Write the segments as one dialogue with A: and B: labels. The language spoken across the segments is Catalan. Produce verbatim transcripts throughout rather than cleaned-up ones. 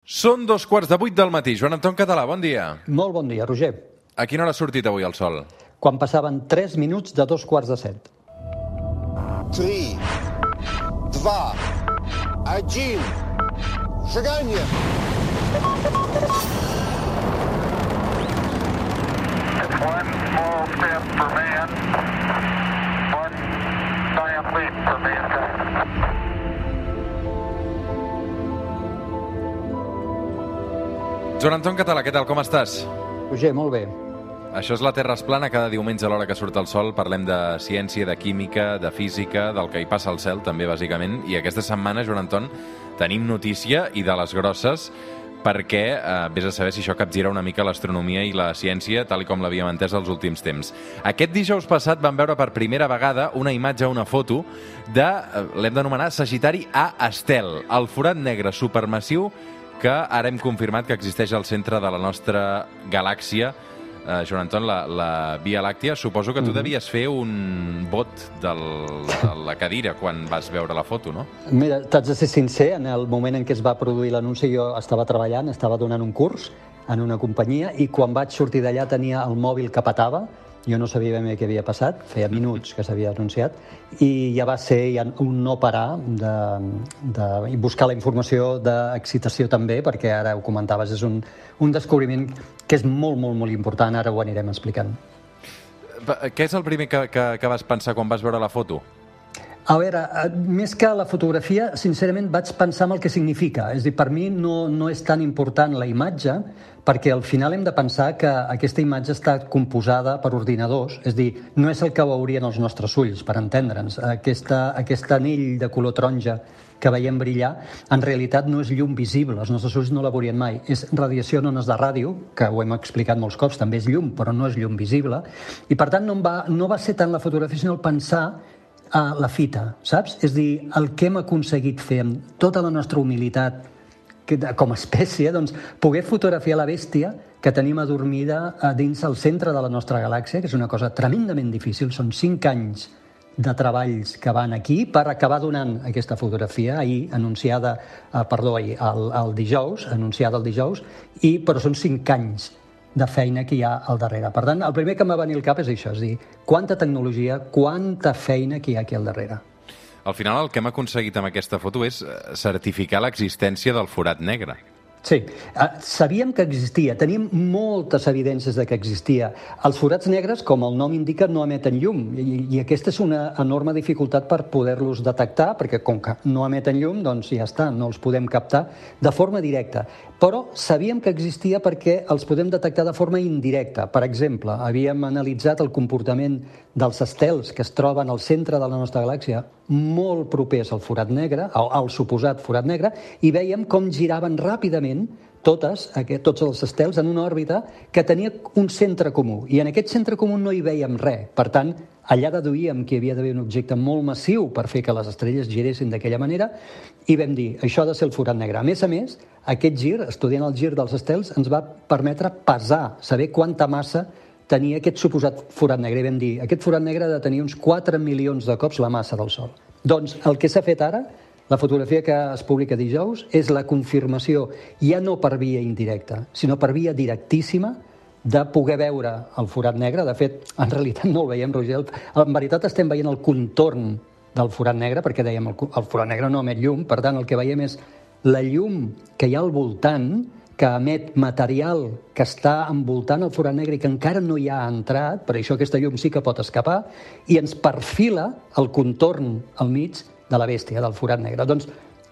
A: Són dos quarts de vuit del matí. Joan Anton Català, bon dia.
B: Molt bon dia, Roger.
A: A quina hora ha sortit avui el sol?
B: Quan passaven tres minuts de dos quarts de set.
C: Три, два, один. Шагание.
D: It's one small step for man, one giant leap for mankind.
A: Joan Anton Català, què tal, com estàs?
B: Roger, molt bé.
A: Això és la Terra es plana. Cada diumenge a l'hora que surt el sol parlem de ciència, de química, de física, del que hi passa al cel, també, bàsicament. I aquesta setmana, Joan Anton, tenim notícia i de les grosses, perquè eh, vés a saber si això capgira una mica l'astronomia i la ciència, tal com l'havíem entès els últims temps. Aquest dijous passat vam veure per primera vegada una imatge, una foto, de, eh, l'hem d'anomenar Sagitari A Estel, el forat negre supermassiu que ara hem confirmat que existeix al centre de la nostra galàxia. Eh, Joan Anton, la, la Via Làctia, suposo que tu devies fer un vot del, de la cadira quan vas veure la foto, no?
B: Mira, t'haig de ser sincer, en el moment en què es va produir l'anunci jo estava treballant, estava donant un curs en una companyia i quan vaig sortir d'allà tenia el mòbil que petava. Jo no sabia ben bé què havia passat, feia minuts que s'havia anunciat, i ja va ser ja un no parar de, de buscar la informació d'excitació també, perquè ara ho comentaves, és un, un descobriment que és molt, molt, molt important, ara ho anirem explicant.
A: Què és el primer que, que, que vas pensar quan vas veure la foto?
B: A veure, més que la fotografia, sincerament vaig pensar en el que significa. És a dir, per mi no, no és tan important la imatge, perquè al final hem de pensar que aquesta imatge està composada per ordinadors, és a dir, no és el que veurien els nostres ulls, per entendre'ns. Aquesta, aquest anell de color taronja que veiem brillar, en realitat no és llum visible, els nostres ulls no la veurien mai. És radiació en ones de ràdio, que ho hem explicat molts cops, també és llum, però no és llum visible, i per tant no, va, no va ser tant la fotografia, sinó el pensar a la fita, saps? És a dir, el que hem aconseguit fer amb tota la nostra humilitat com a espècie, doncs, poder fotografiar la bèstia que tenim adormida a dins el centre de la nostra galàxia, que és una cosa tremendament difícil. Són cinc anys de treballs que van aquí per acabar donant aquesta fotografia, ahir anunciada, eh, perdó, ahir, el, el dijous, anunciada el dijous, i, però són cinc anys de feina que hi ha al darrere. Per tant, el primer que em va venir al cap és això, és dir, quanta tecnologia, quanta feina que hi ha aquí al darrere.
A: Al final, el que hem aconseguit amb aquesta foto és certificar l'existència del forat negre.
B: Sí, sabíem que existia, tenim moltes evidències de que existia. Els forats negres, com el nom indica, no emeten llum, i, i aquesta és una enorme dificultat per poder-los detectar, perquè com que no emeten llum, doncs ja està, no els podem captar de forma directa. Però sabíem que existia perquè els podem detectar de forma indirecta. Per exemple, havíem analitzat el comportament dels estels que es troben al centre de la nostra galàxia, molt propers al forat negre, al, al suposat forat negre, i vèiem com giraven ràpidament totes, aquest, tots els estels en una òrbita que tenia un centre comú. I en aquest centre comú no hi vèiem res. Per tant, allà deduïem que hi havia d'haver un objecte molt massiu per fer que les estrelles giressin d'aquella manera i vam dir, això ha de ser el forat negre. A més a més, aquest gir, estudiant el gir dels estels, ens va permetre pesar, saber quanta massa tenia aquest suposat forat negre. I vam dir, aquest forat negre ha de tenir uns quatre milions de cops la massa del Sol. Doncs el que s'ha fet ara, la fotografia que es publica dijous, és la confirmació, ja no per via indirecta, sinó per via directíssima, de poder veure el forat negre. De fet, en realitat no el veiem, Roger. En veritat estem veient el contorn del forat negre, perquè dèiem el, el forat negre no emet llum, per tant el que veiem és la llum que hi ha al voltant, que emet material que està envoltant el forat negre i que encara no hi ha entrat, per això aquesta llum sí que pot escapar, i ens perfila el contorn al mig de la bèstia, del forat negre. Doncs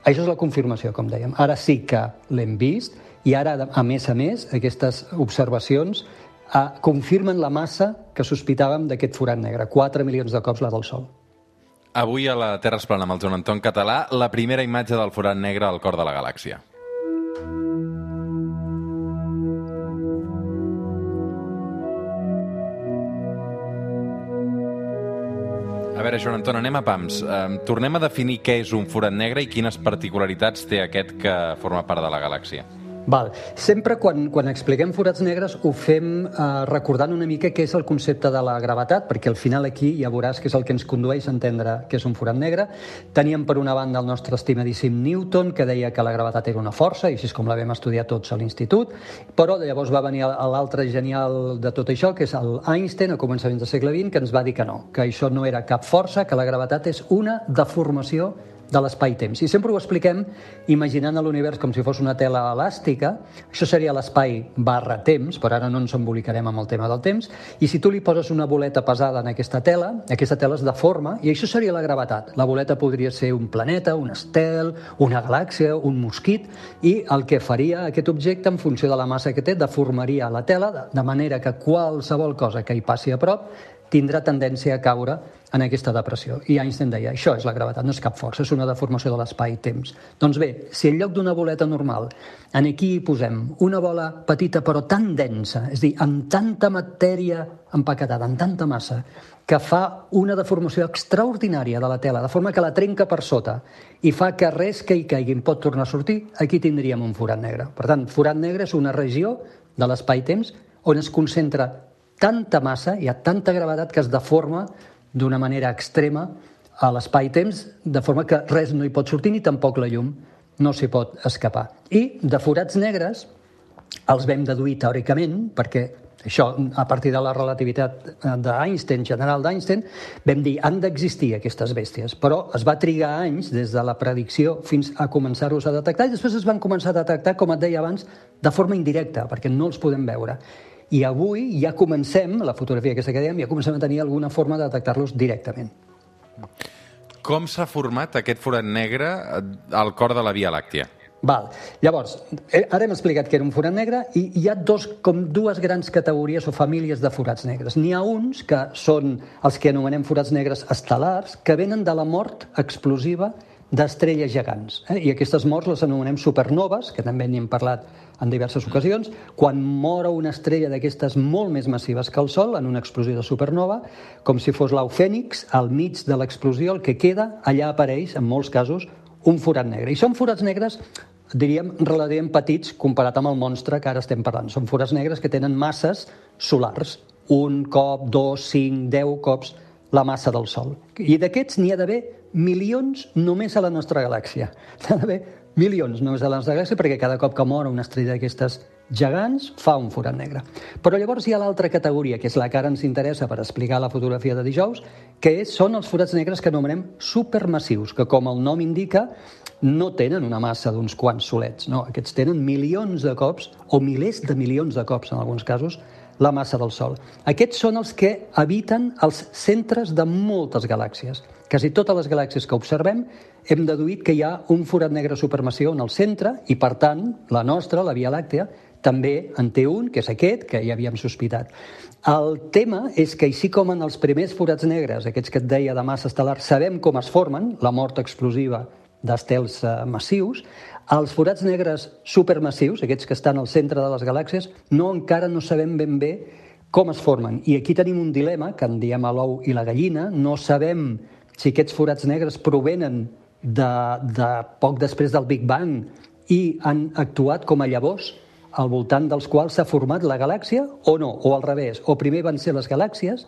B: això és la confirmació, com dèiem. Ara sí que l'hem vist, i ara, a més a més, aquestes observacions eh, confirmen la massa que sospitàvem d'aquest forat negre, quatre milions de cops la del Sol.
A: Avui a la Terra es plana amb el Joan Anton Català, la primera imatge del forat negre al cor de la galàxia. A veure, Joan Anton, anem a pams. Eh, tornem a definir què és un forat negre i quines particularitats té aquest que forma part de la galàxia.
B: Val. Sempre quan, quan expliquem forats negres ho fem eh, recordant una mica què és el concepte de la gravetat, perquè al final aquí ja veuràs que és el que ens condueix a entendre què és un forat negre. Teníem per una banda el nostre estimadíssim Newton, que deia que la gravetat era una força, i així és com la vam estudiar tots a l'institut, però llavors va venir l'altre genial de tot això, que és el Einstein, a començaments del segle vint, que ens va dir que no, que això no era cap força, que la gravetat és una deformació de l'espai-temps. I sempre ho expliquem imaginant l'univers com si fos una tela elàstica. Això seria l'espai barra temps, però ara no ens embolicarem amb el tema del temps. I si tu li poses una boleta pesada en aquesta tela, aquesta tela es deforma i això seria la gravetat. La boleta podria ser un planeta, un estel, una galàxia, un mosquit, i el que faria aquest objecte en funció de la massa que té, deformaria la tela de manera que qualsevol cosa que hi passi a prop tindrà tendència a caure en aquesta depressió. I Einstein deia, això és la gravetat, no és cap força, és una deformació de l'espai-temps. Doncs bé, si en lloc d'una boleta normal, en aquí hi posem una bola petita però tan densa, és a dir, amb tanta matèria empaquetada, amb tanta massa, que fa una deformació extraordinària de la tela, de forma que la trenca per sota i fa que res que hi caigui pot tornar a sortir, aquí tindríem un forat negre. Per tant, forat negre és una regió de l'espai-temps on es concentra tanta massa, hi ha tanta gravetat que es deforma d'una manera extrema a l'espai-temps, de forma que res no hi pot sortir ni tampoc la llum no s'hi pot escapar. I de forats negres els vam deduir teòricament, perquè això, a partir de la relativitat d'Einstein, general d'Einstein, vam dir, han d'existir aquestes bèsties, però es va trigar anys des de la predicció fins a començar-los a detectar, i després es van començar a detectar, com et deia abans, de forma indirecta, perquè no els podem veure. I avui ja comencem, la fotografia aquesta que dèiem, ja comencem a tenir alguna forma de detectar-los directament.
A: Com s'ha format aquest forat negre al cor de la Via Làctia?
B: Val. Llavors, ara hem explicat que era un forat negre i hi ha dos, com dues grans categories o famílies de forats negres. N'hi ha uns que són els que anomenem forats negres estel·lars, que venen de la mort explosiva d'estrelles gegants. Eh? I aquestes morts les anomenem supernoves, que també n'hi hem parlat en diverses ocasions. Quan mor una estrella d'aquestes molt més massives que el Sol, en una explosió de supernova, com si fos l'au fènix, al mig de l'explosió, el que queda, allà apareix, en molts casos, un forat negre. I són forats negres, diríem, relativament petits comparat amb el monstre que ara estem parlant. Són forats negres que tenen masses solars. Un cop, dos, cinc, deu cops la massa del Sol. I d'aquests n'hi ha d'haver milions només a la nostra galàxia. N'hi ha d'haver milions només a la nostra galàxia perquè cada cop que mor una estrella d'aquestes gegants fa un forat negre. Però llavors hi ha l'altra categoria, que és la que ara ens interessa per explicar la fotografia de dijous, que és, són els forats negres que anomenem supermassius, que com el nom indica no tenen una massa d'uns quants solets. No, aquests tenen milions de cops, o milers de milions de cops en alguns casos, la massa del Sol. Aquests són els que habiten els centres de moltes galàxies. Quasi totes les galàxies que observem hem deduït que hi ha un forat negre supermassiu en el centre i, per tant, la nostra, la Via Làctea, també en té un, que és aquest, que ja havíem sospitat. El tema és que, així com en els primers forats negres, aquests que et deia de massa estel·lar, sabem com es formen, la mort explosiva d'estels massius, els forats negres supermassius, aquests que estan al centre de les galàxies, no encara no sabem ben bé com es formen. I aquí tenim un dilema, que en diem a l'ou i la gallina. No sabem si aquests forats negres provenen de, de poc després del Big Bang i han actuat com a llavors al voltant dels quals s'ha format la galàxia o no, o al revés. O primer van ser les galàxies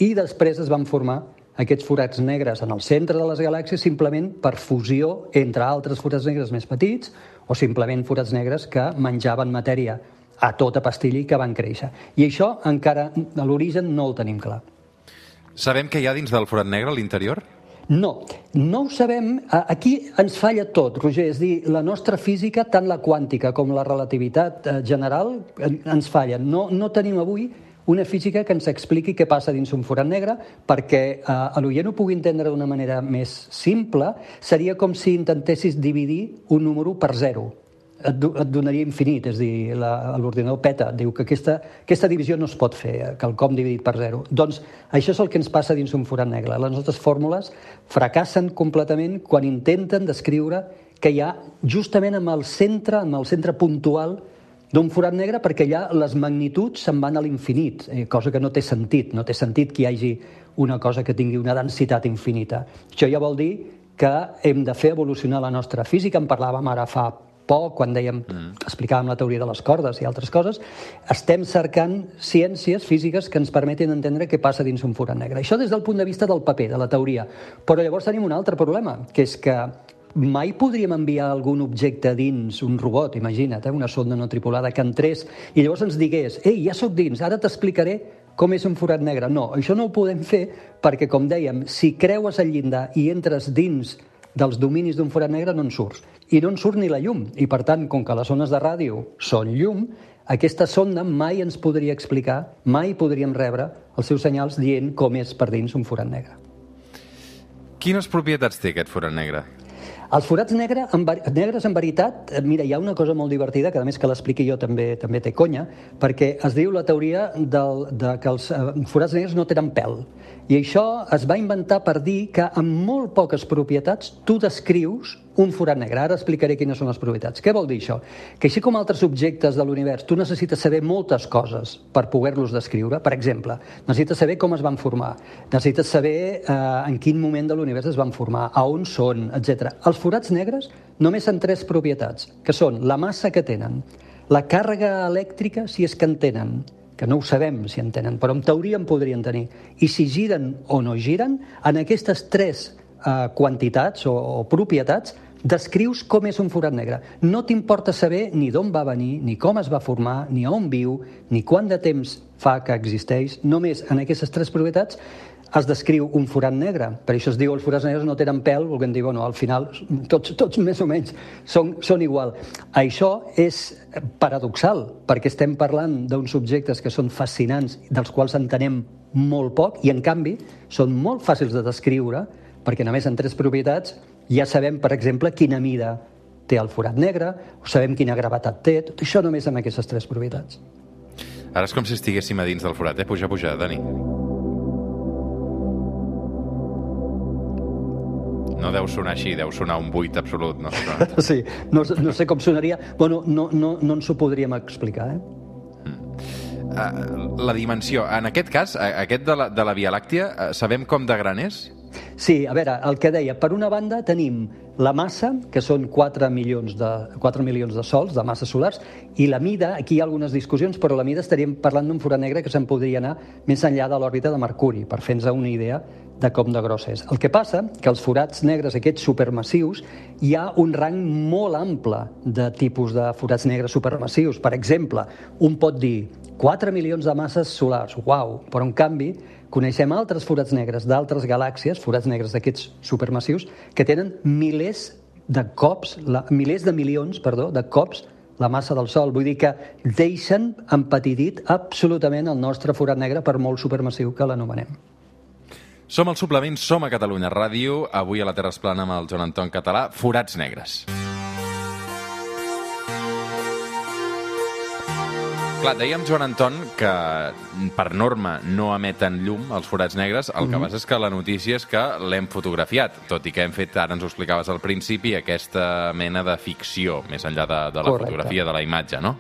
B: i després es van formar aquests forats negres en el centre de les galàxies simplement per fusió entre altres forats negres més petits o simplement forats negres que menjaven matèria a tota pastilla i que van créixer. I això encara a l'origen no el tenim clar.
A: Sabem què hi ha dins del forat negre a l'interior?
B: No, no ho sabem. Aquí ens falla tot, Roger. És dir, la nostra física, tant la quàntica com la relativitat general, ens fallen. No, no tenim avui una física que ens expliqui què passa dins un forat negre, perquè eh, l'oient ho pugui entendre d'una manera més simple, seria com si intentessis dividir un número per zero. Et, do, et donaria infinit, és a dir, l'ordinador peta, diu que aquesta, aquesta divisió no es pot fer, quelcom dividit per zero. Doncs això és el que ens passa dins un forat negre. Les nostres fórmules fracassen completament quan intenten descriure que hi ha justament en el centre, en el centre puntual d'un forat negre, perquè allà les magnituds se'n van a l'infinit, eh, cosa que no té sentit. No té sentit que hi hagi una cosa que tingui una densitat infinita. Això ja vol dir que hem de fer evolucionar la nostra física. En parlàvem ara fa poc, quan dèiem, mm. explicàvem la teoria de les cordes i altres coses, estem cercant ciències físiques que ens permetin entendre què passa dins un forat negre. Això des del punt de vista del paper, de la teoria. Però llavors tenim un altre problema, que és que mai podríem enviar algun objecte dins un robot, imagina't, eh, una sonda no tripulada, que entrés i llavors ens digués, ei, ja sóc dins, ara t'explicaré com és un forat negre. No, això no ho podem fer perquè, com dèiem, si creues el llindar i entres dins dels dominis d'un forat negre no en surts. I no en surt ni la llum. I, per tant, com que les ones de ràdio són llum, aquesta sonda mai ens podria explicar, mai podríem rebre els seus senyals dient com és per dins un forat negre.
A: Quines propietats té aquest forat negre?
B: Els forats negre, en, negres, en veritat, mira, hi ha una cosa molt divertida, que a més que l'expliqui jo també també té conya, perquè es diu la teoria del, de que els forats negres no tenen pèl. I això es va inventar per dir que amb molt poques propietats tu descrius un forat negre. Ara explicaré quines són les propietats. Què vol dir això? Que així com altres objectes de l'univers, tu necessites saber moltes coses per poder-los descriure. Per exemple, necessites saber com es van formar, necessites saber eh, en quin moment de l'univers es van formar, a on són, etcètera. Els forats negres només han tres propietats, que són la massa que tenen, la càrrega elèctrica, si és que en tenen, que no ho sabem si en tenen, però en teoria en podrien tenir, i si giren o no giren, en aquestes tres eh, quantitats o, o propietats descrius com és un forat negre. No t'importa saber ni d'on va venir, ni com es va formar, ni on viu, ni quant de temps fa que existeix. Només en aquestes tres propietats es descriu un forat negre. Per això es diu els forats negres no tenen pèl, volguem dir, bueno, al final tots, tots més o menys són, són igual. Això és paradoxal, perquè estem parlant d'uns objectes que són fascinants, dels quals entenem molt poc, i en canvi són molt fàcils de descriure, perquè només en tres propietats ja sabem, per exemple, quina mida té el forat negre, o sabem quina gravetat té, tot això només amb aquestes tres propietats.
A: Ara és com si estiguéssim a dins del forat, eh? Puja, puja, Dani. No deu sonar així, deu sonar un buit absolut, no?
B: Sí, no, no sé com sonaria. Bueno, no, no, no ens ho podríem explicar, eh?
A: Mm. La dimensió, en aquest cas, aquest de la, de la Via Làctia, sabem com de gran és?
B: Sí, a veure, el que deia, per una banda tenim la massa, que són quatre milions de, quatre milions de sols, de masses solars, i la mida, aquí hi ha algunes discussions, però la mida estaríem parlant d'un forat negre que se'n podria anar més enllà de l'òrbita de Mercuri, per fer-nos una idea de com de gros és. El que passa que els forats negres, aquests supermassius, hi ha un rang molt ample de tipus de forats negres supermassius. Per exemple, un pot dir quatre milions de masses solars, uau, però en canvi coneixem altres forats negres d'altres galàxies, forats negres d'aquests supermassius, que tenen milers de cops, la, milers de milions, perdó, de cops la massa del Sol. Vull dir que deixen empetidit absolutament el nostre forat negre, per molt supermassiu que l'anomenem.
A: Som al Suplement, som a Catalunya Ràdio. Avui a la Terra es plana amb el Joan Anton Català, forats negres. Clar, dèiem, Joan Anton, que per norma no emeten llum els forats negres. El que passa és que la notícia és que l'hem fotografiat, tot i que hem fet, ara ens ho explicaves al principi, aquesta mena de ficció, més enllà de, de la Correcte. Fotografia, de la imatge, no?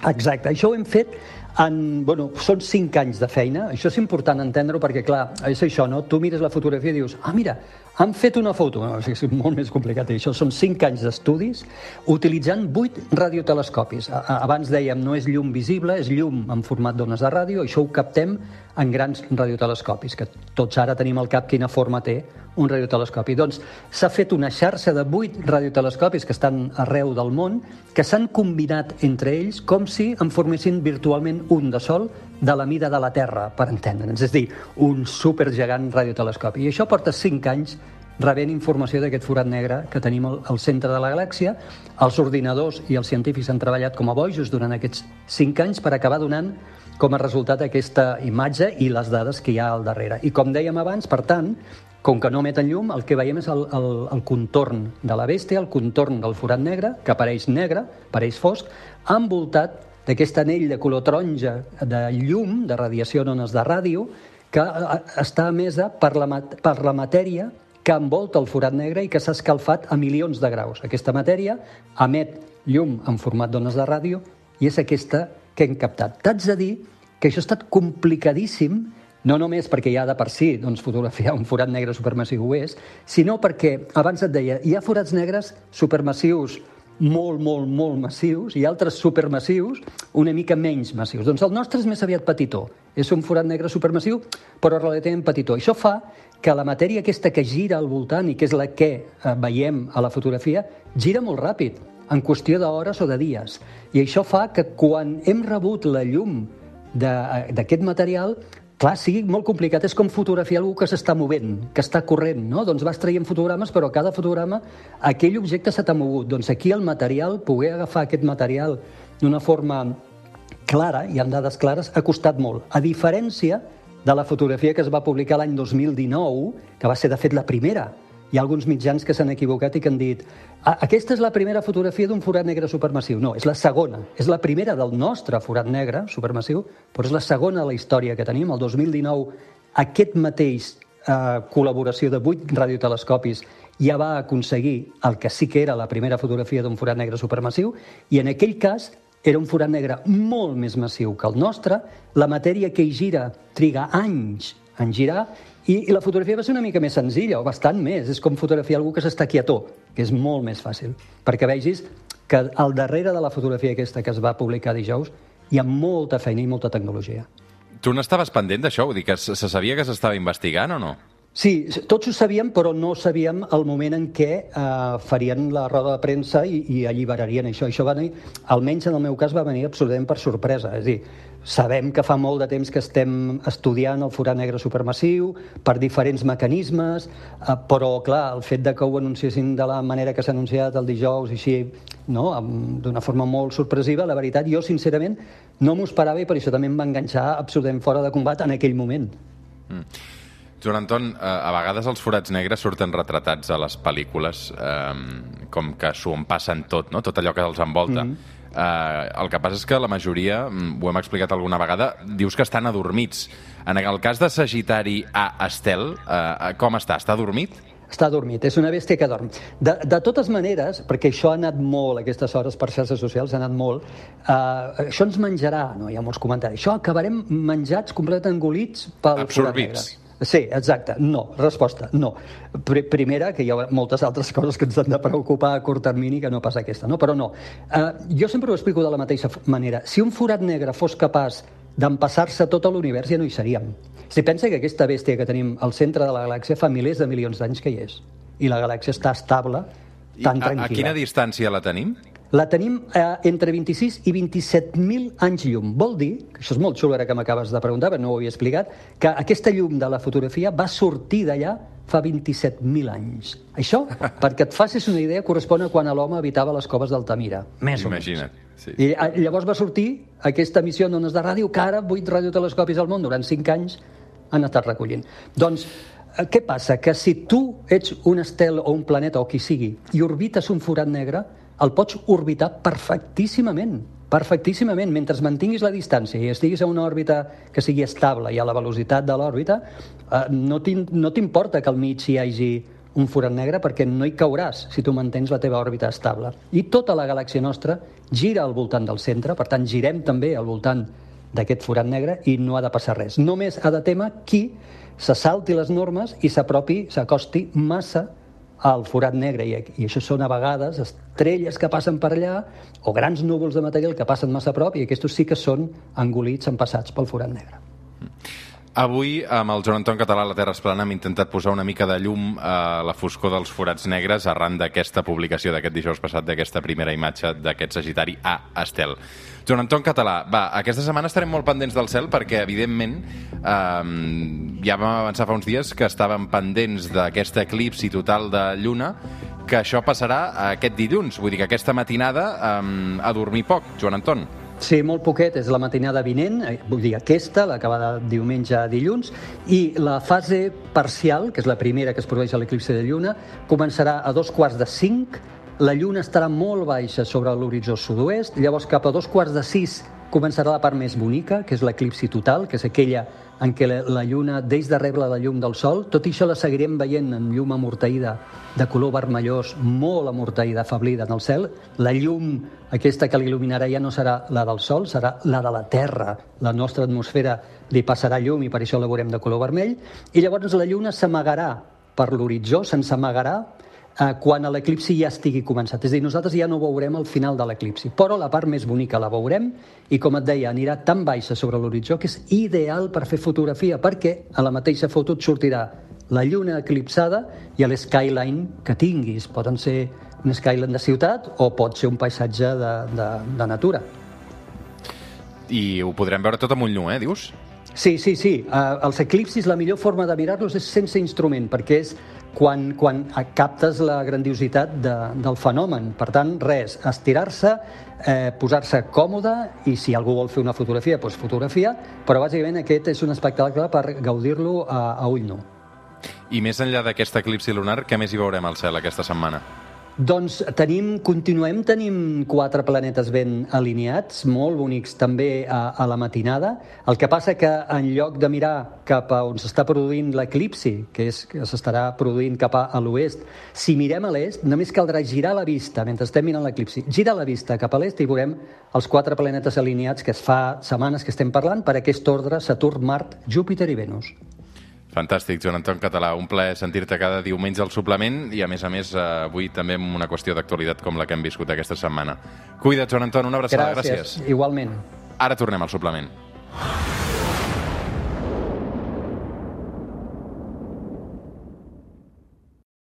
B: Exacte, això ho hem fet en, bueno, són cinc anys de feina. Això és important entendre-ho perquè, clar, és això, no? Tu mires la fotografia i dius, ah, mira, han fet una foto. No, és molt més complicat. Això són cinc anys d'estudis utilitzant vuit radiotelescopis. Abans dèiem, no és llum visible, és llum en format d'ones de ràdio. Això ho captem en grans radiotelescopis, que tots ara tenim al cap quina forma té un radiotelescopi. Doncs s'ha fet una xarxa de vuit radiotelescopis que estan arreu del món, que s'han combinat entre ells com si en formessin virtualment un de sol de la mida de la Terra, per entendre'ns. És a dir, un supergegant radiotelescopi. I això porta cinc anys rebent informació d'aquest forat negre que tenim al centre de la galàxia. Els ordinadors i els científics han treballat com a bojos durant aquests cinc anys per acabar donant com a resultat aquesta imatge i les dades que hi ha al darrere. I com dèiem abans, per tant, com que no emeten llum, el que veiem és el, el, el contorn de la bèstia, el contorn del forat negre, que apareix negre, apareix fosc, envoltat d'aquest anell de color taronja de llum, de radiació en ones de ràdio, que està emesa per la, per la matèria que envolta el forat negre i que s'ha escalfat a milions de graus. Aquesta matèria emet llum en format d'ones de ràdio i és aquesta que hem captat. T'haig de dir que això ha estat complicadíssim, no només perquè ja de per si doncs, fotografiar un forat negre supermassiu ho és, sinó perquè, abans et deia, hi ha forats negres supermassius molt, molt, molt massius i altres supermassius una mica menys massius. Doncs el nostre és més aviat petitó. És un forat negre supermassiu, però relativament petitó. Això fa que la matèria aquesta que gira al voltant i que és la que eh, veiem a la fotografia, gira molt ràpid, en qüestió d'hores o de dies. I això fa que quan hem rebut la llum d'aquest material, clar, sigui molt complicat, és com fotografiar algú que s'està movent, que està corrent, no? Doncs vas traient fotogrames, però a cada fotograma aquell objecte se t'ha mogut. Doncs aquí el material, poder agafar aquest material d'una forma clara i amb dades clares, ha costat molt. A diferència de la fotografia que es va publicar l'any dos mil dinou, que va ser, de fet, la primera. Hi ha alguns mitjans que s'han equivocat i que han dit aquesta és la primera fotografia d'un forat negre supermassiu. No, és la segona. És la primera del nostre forat negre supermassiu, però és la segona de la història que tenim. El dos mil dinou, aquest mateix eh, col·laboració de vuit radiotelescopis ja va aconseguir el que sí que era la primera fotografia d'un forat negre supermassiu, i en aquell cas era un forat negre molt més massiu que el nostre. La matèria que hi gira triga anys en girar, i, i la fotografia va ser una mica més senzilla, o bastant més. És com fotografiar algú que s'està quietó, que és molt més fàcil. Perquè vegis que al darrere de la fotografia aquesta que es va publicar dijous hi ha molta feina i molta tecnologia.
A: Tu n'estaves pendent d'això? Vull dir que se sabia que s'estava investigant o no?
B: Sí, tots ho sabíem, però no sabíem el moment en què eh, farien la roda de premsa i, i alliberarien això. Això va venir, almenys en el meu cas, va venir absolutament per sorpresa. És a dir, sabem que fa molt de temps que estem estudiant el forat negre supermassiu per diferents mecanismes, eh, però, clar, el fet de que ho anunciessin de la manera que s'ha anunciat el dijous, així, no? D'una forma molt sorpresiva, la veritat, jo, sincerament, no m'ho esperava i per això també em va enganxar absolutament fora de combat en aquell moment.
A: Mm. Joan Anton, a vegades els forats negres surten retratats a les pel·lícules eh, com que s'ho en passen tot, no? Tot allò que els envolta. Mm-hmm. Eh, el que passa és que la majoria, ho hem explicat alguna vegada, dius que estan adormits. En el cas de Sagitari A Estel, eh, com està? Està adormit?
B: Està adormit, és una bèstia que dorm. De, de totes maneres, perquè això ha anat molt, aquestes hores per xarxes socials, ha anat molt, eh, això ens menjarà, no hi ha molts comentaris, això acabarem menjats, completament engolits pel forat negre. Sí, exacte. No. Resposta, no. Primera, que hi ha moltes altres coses que ens han de preocupar a curt termini que no pas aquesta, no? Però no. Uh, jo sempre ho explico de la mateixa manera. Si un forat negre fos capaç d'empassar-se tot l'univers, ja no hi seríem. Si pensa que aquesta bèstia que tenim al centre de la galàxia fa milers de milions d'anys que hi és. I la galàxia està estable, tan
A: I
B: tranquil·la.
A: A, a quina distància la tenim?
B: La tenim eh, entre vint-i-sis i vint-i-set mil anys llum. Vol dir, que això és molt xulo ara que m'acabes de preguntar, però no ho havia explicat, que aquesta llum de la fotografia va sortir d'allà fa vint-i-set mil anys. Això, perquè et facis una idea, correspon a quan l'home habitava les coves d'Altamira. Més o menys.
A: Imagina't. Sí.
B: I llavors va sortir aquesta emissió en ones de ràdio que ara vuit radiotelescopis al món durant cinc anys han estat recollint. Doncs, què passa? Que si tu ets un estel o un planeta o qui sigui i orbites un forat negre, el pots orbitar perfectíssimament, perfectíssimament. Mentre mantinguis la distància i estiguis a una òrbita que sigui estable i a la velocitat de l'òrbita, eh, no t'importa que al mig hi hagi un forat negre perquè no hi cauràs si tu mantens la teva òrbita estable. I tota la galàxia nostra gira al voltant del centre, per tant girem també al voltant d'aquest forat negre i no ha de passar res. Només ha de témer qui se salti les normes i s'apropi, s'acosti massa al forat negre, i, i això són a vegades estrelles que passen per allà o grans núvols de material que passen massa a prop, i aquests sí que són engolits, empassats pel forat negre.
A: Avui, amb el Joan Anton Català, la Terra és plana, hem intentat posar una mica de llum a la foscor dels forats negres arran d'aquesta publicació d'aquest dijous passat, d'aquesta primera imatge d'aquest Sagitari A Estel. Joan Anton Català, va, aquesta setmana estarem molt pendents del cel perquè, evidentment, eh, ja vam avançar fa uns dies que estàvem pendents d'aquest eclipsi total de lluna, que això passarà aquest dilluns. Vull dir que aquesta matinada eh, a dormir poc, Joan Anton.
B: Sí, molt poquet, és la matinada vinent, vull dir aquesta, la que va de diumenge a dilluns, i la fase parcial, que és la primera que es produeix a l'eclipsi de lluna, començarà a dos quarts de cinc, la lluna estarà molt baixa sobre l'horitzó sud-oest, llavors cap a dos quarts de sis començarà la part més bonica, que és l'eclipsi total, que és aquella en què la lluna deix de rebre la llum del sol. Tot i això la seguirem veient en llum amortaïda de color vermellós, molt amortaïda, afablida en el cel. La llum aquesta que l'il·luminarà ja no serà la del sol, serà la de la Terra. La nostra atmosfera li passarà llum i per això la veurem de color vermell. I llavors la lluna s'amagarà per l'horitzó, se'ns amagarà eh, quan l'eclipsi ja estigui començat. És a dir, nosaltres ja no veurem el final de l'eclipsi, però la part més bonica la veurem i, com et deia, anirà tan baixa sobre l'horitzó que és ideal per fer fotografia, perquè a la mateixa foto et sortirà la lluna eclipsada i l'skyline que tinguis. Poden ser un skyline de ciutat o pot ser un paisatge de, de, de natura.
A: I ho podrem veure tot amb ull nu, eh, dius?
B: Sí, sí, sí. Uh, els eclipsis, la millor forma de mirar-los és sense instrument, perquè és quan, quan captes la grandiositat de, del fenomen. Per tant, res, estirar-se, eh, posar-se còmode, i si algú vol fer una fotografia, doncs fotografia, però bàsicament aquest és un espectacle per gaudir-lo a, a ull nu.
A: I més enllà d'aquest eclipsi lunar, què més hi veurem al cel aquesta setmana?
B: Doncs tenim, continuem tenim quatre planetes ben alineats, molt bonics també a, a la matinada. El que passa que en lloc de mirar cap a on s'està produint l'eclipsi, que és que s'estarà produint cap a, a l'oest, si mirem a l'est, només caldrà girar la vista mentre estem mirant l'eclipsi. Gira la vista cap a l'est i veurem els quatre planetes alineats que es fa setmanes que estem parlant per aquest ordre: Saturn, Mart, Júpiter i Venus.
A: Fantàstic, Joan Anton Català. Un plaer sentir-te cada diumenge al suplement i, a més a més, avui també amb una qüestió d'actualitat com la que hem viscut aquesta setmana. Cuida't, Joan Anton, una abraçada.
B: Gràcies.
A: Gràcies.
B: Igualment.
A: Ara tornem al suplement.